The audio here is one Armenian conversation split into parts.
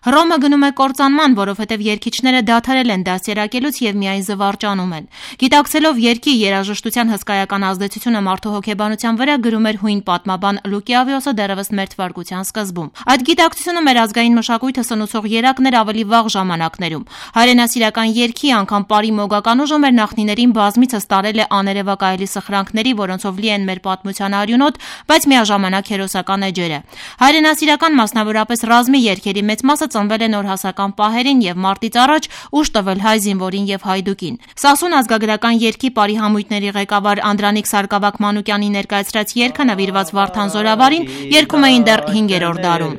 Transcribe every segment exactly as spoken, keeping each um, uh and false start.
Հռոմը գնում է կործանման, որովհետև երգիչները դադարել են դաստիարակելուց եւ միայն զվարճանում են։ Գիտակցելով երգի երաժշտության հսկայական ազդեցությունը մարդու հոգեբանության վրա, գրում էր հույն պատմաբան Լուկիավիոսը դեռևս մեր թվարկության սկզբում։ Այդ գիտակցությունը մեր ազգային մշակույթը սնուցող երակն էր ավելի վաղ ժամանակներում։ Հայրենասիրական երգի անգամ պարի մոգական ուժը մեր նախնիներին բազմիցս տարել է աներևակայելի սխրանքների, որոնցով լի են մեր պատմության արյունոտ, բայց միաժամանակ հերոսական էջերը։ Հայրենասիրական, մասնավորապես ռազմի երգերի մեծ մասը ծնվել է նորհասական պահերին եւ մարտից առաջ ուժ տվել հայ զինվորին եւ հայդուկին։ Սասուն ազգագրական երգի պարի համույթների ղեկավար Անդրանիկ Սարգսակ-Մանուկյանի ներկայացրած երգը նվիրված Վարդան Զորավարին երգում էին դեռ հինգերորդ դարում։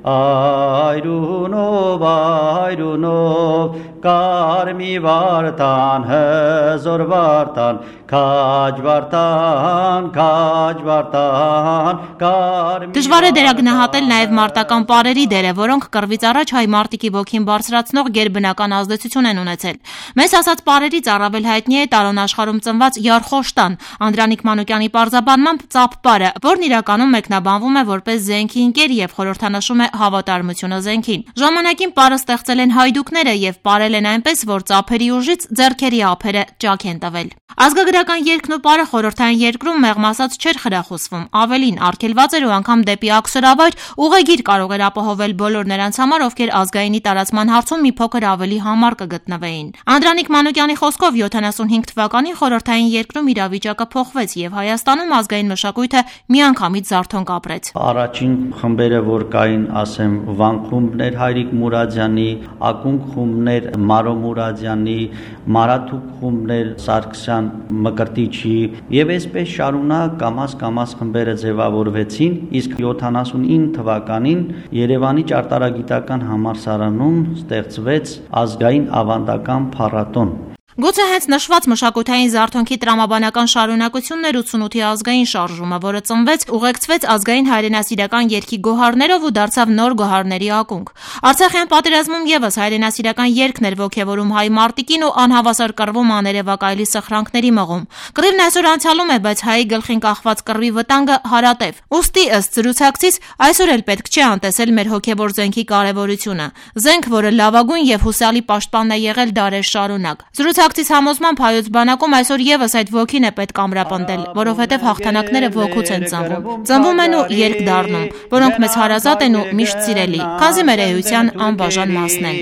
Այրունով, այրունով, կարմի վարդան, հզոր վարդան, քաջ վարդան, քաջ վարդան, կարմի։ Դժվար է դերագնահատել նաև մարտական պարերի դերը, որոնք կռվից առաջ հայ մարտիկի ոգին բարձրացնող գերբնական ազդեցություն են ունեցել։ Մեզ ասած պարերից առավել հայտնի է տարոն աշխարհում ծնված Յարխոշտան, Անդրանիկ Մանուկյանի պարզաբանմամբ ծափ պարը, որն իրականում մեկնաբանվում է որպես զենքի ընկեր եւ խորհրդանշում է հավատարմությունը զենքին։ Ժամանակին պարը ստեղծել են հայդուկները եւ պարել են այնպես, որ ծափերի ուժից ձեռքերի ափերը ճաք են տվել։ Ազգագրական երգն ու պարը խորհրդային երկրում մեղմ ասած չէր խրախուսվում, ավելին արգելված էր ու անգամ դեպի աքսորավայր ուղեգիր կարող էր ապահովել բոլոր նրանց համար, ովքեր ազգայինի տարածման հարցում մի փոքր ավելի համառ կգտնվեին։ Անդրանիկ Մանուկյանի խոսքով յոթանասունհինգ թվականին խորհրդային երկրում իրավիճակը փոխվեց եւ Հայաստանում ազգային մշակույթը միանգամից զարթոնք ապրեց։ Առաջին խմբերը, որ կային, ասեմ, Վան խումբներ Հայրիկ Մուրադյանի, Ակունք խումբներ Մարո Մուրադյանի, Մարաթուկ խումբներ Սարգսյան Մկրտիչի եւ այսպես շարունակ կամաց-կամաց խմբերը ձևավորվեցին, իսկ յոթանասունինը թվականին Երևանի ճարտարագիտական համալսարանում ստեղծվեց ազգային ավանդական փառատոն։ Գուցե հենց նշված մշակութային զարթոնքի տրամաբանական շարունակությունն էր ութսունութի ազգային շարժումը, որը ծնվեց, ուղեկցվեց ազգային հայրենասիրական երգի գոհարներով ու դարձավ նոր գոհարների ակունք։ Արցախյան պատերազմում եւս հայրենասիրական երգն էր ոգևորում հայ մարտիկին ու անհավասար կռվում աներևակայելի սխրանքների մղում։ Կռիվն այսօր անցյալում է, բայց հայի գլխին կախված կռվի վտանգը հարատև։ Ուստի ըստ զրուցակցից այսօր էլ պետք չէ անտեսել մեր հոգևոր զենքի կարևորությունը։ Զենք, որը լավագույն եւ հուսալի պաշտպանն է եղել դարեր շարունակ։ Զրուցակցից համոզմամբ հայոց բանակում այսօր եւս այդ ոգին է պետք ամրապնդել, որովհետեւ հաղթանակները ոգուց են ծնվում։ Ծնվում են ու երկ դառնում, որոնք մեզ հարազատ են ու միշտ սիրելի, քանզի մեր էության անբաժան մասն են։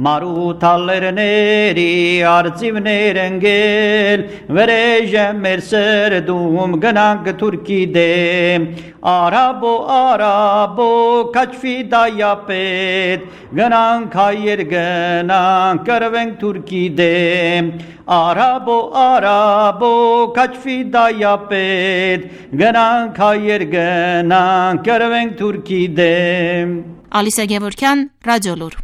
Մարութալերների արծիվներ ընկել, վրեժը մեր սրդում գնանք թուրքի դեմ, արաբո արաբո քաչվի դայապետ, գնանք հայեր գնանք կռվենք թուրքի դեմ, արաբո արաբո քաչվի դայապետ, գնանք հայեր գնանք կռվենք թուրքի դեմ։ Ալիսա Գևորգյան, Ռադիոլուր։